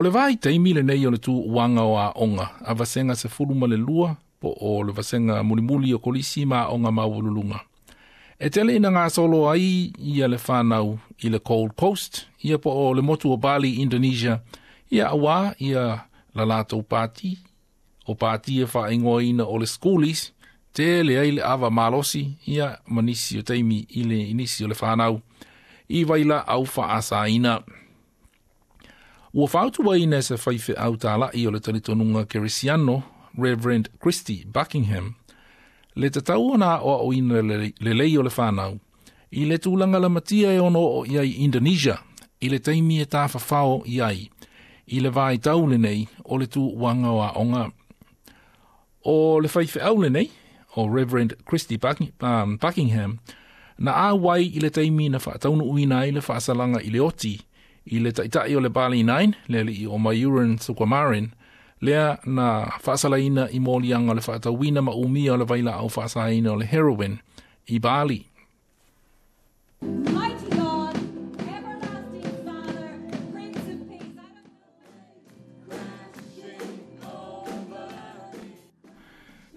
O le vaitaimi lenei o le tuuaga o aoga a vasega 12 po o le vasega mulimuli o kolisi ma aoga maualuluga. E tele ina gasolo ai ia le fanau i le Gold Coast, ia po o le motu o Bali, Indonesia, ia auā ia la latou pati, o pati e faaigoaina o le Schoolies, tele ai le ava malosi, ia ma nisi o taimi i le i nisi o le fanau, i vailaau faasaina. Ua fautuaina e se faifeau talai o le talitonuga Kerisiano, Reverend Christy Buckingham, le tatau ona aoaoina lelei o le fanau, i le tulaga lamatia e ono oo i ai Indonesia, i le taimi e tafafao i ai, i le vaitau lenei o le tuuaga o aoga. O le faifeau lenei, o Reverend Christy Buckingham, na auai i le taimi na faataunuuina ai le faasalaga i le oti, i le taitai o le Bali 9, le alii o Myuran Sukumaran, lea na faasalaina i moliaga o le faatauina ma umia o le vailaau faasaina o le heroin i Bali. Mighty God, everlasting Father, Prince of Peace.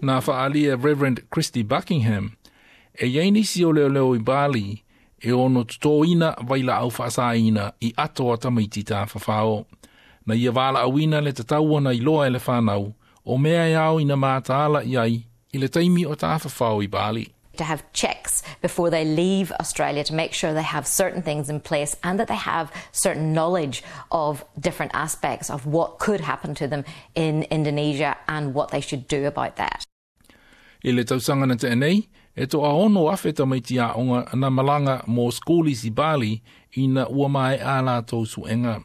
Na faaalia Reverend Christy Buckingham, e i ai nisi o leoleo i Bali e ono totoina vailaau faasaina i ato a tamaiti tafafao. Na ia valaauina le tatau ona iloa e le fanau, o mea e ao ina mataala i ai i le taimi o tafafao i Bali. To have checks before they leave Australia to make sure they have certain things in place and that they have certain knowledge of different aspects of what could happen to them in Indonesia and what they should do about that. I le tausaga na tea nei, e toa 6,000 tamaiti aoga na malaga mo Schoolies i Bali ina ua maea a latou suega.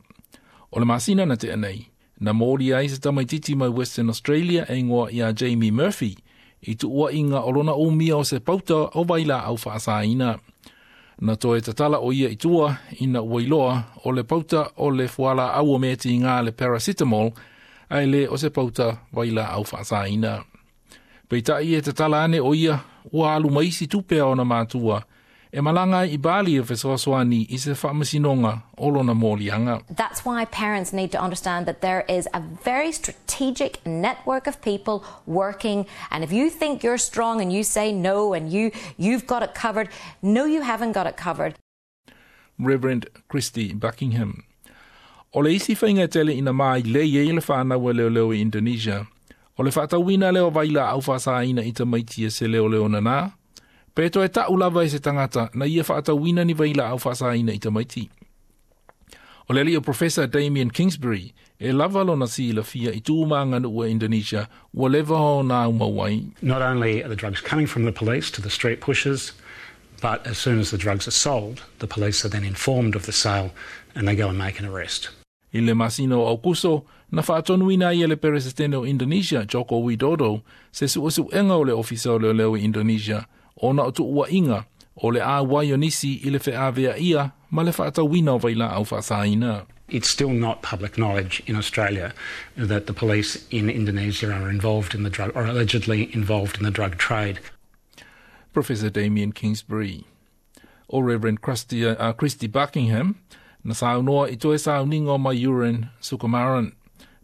O le masina na tea nei, na moli ai se tamaititi mai Western Australia e igoa ia Jamie Murphy i tuuaiga o lona umia o se pauta o vailaau faasaina. Na toe tatala o ia i tua ina ua iloa o le pauta o le fualaau o meatiga le paracetamol ae le o se pauta vailaau faasaina. Peitai e tatala ane o ia ua alu ma isi tupe a ona matua e malaga ai i Bali e fesoasoani i se faamasinoga o lona moliaga. That's why parents need to understand that there is a very strategic network of people working, and if you think you're strong and you say no and you've got it covered, no, you haven't got it covered. Reverend Christy Buckingham. O le isi faiga e tele ina mailei ai le fanau a leoleo i Indonesia, o le faatauina lea o vailaau faasaina i tamaiti e se leoleo nanā, pe toe ta'u lava e se tagata na ia faatauina ni vailaau faasaina i tamaiti. O le alii o Professor Damien Kingsbury, e lava lona silafia i tu ma aganuu a Indonesia ua leva ona aumau ai. Not only are the drugs coming from the police to the street pushers, but as soon as the drugs are sold, the police are then informed of the sale and they go and make an arrest. I le masina o Aukuso, na faatonuina ai e le Peresetene o Indonesia, Joko Widodo, se suesuega o le Ofisa o Leoleo i Indonesia, ona o tuuaiga o le auai o nisi i le feaveaia ma le faatauina o vailaau faasaina. It's still not public knowledge in Australia that the police in Indonesia are involved in the drug, or allegedly involved in the drug trade. Professor Damien Kingsbury. O Reverend Christy Buckingham, na saunoa i toe sauniga o Myuran Sukumaran,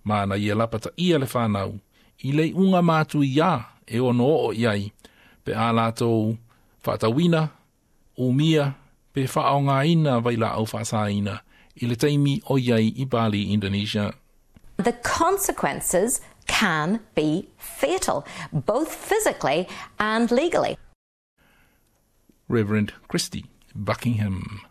ma na ia lapataia le fanau, i le iuga matuia e ono oo i ai, pe a latou faatauina, umia, pe faaaogaina vailaau faasaina i le taimi o i ai i Bali, Indonesia. The consequences can be fatal, both physically and legally. Reverend Christy Buckingham.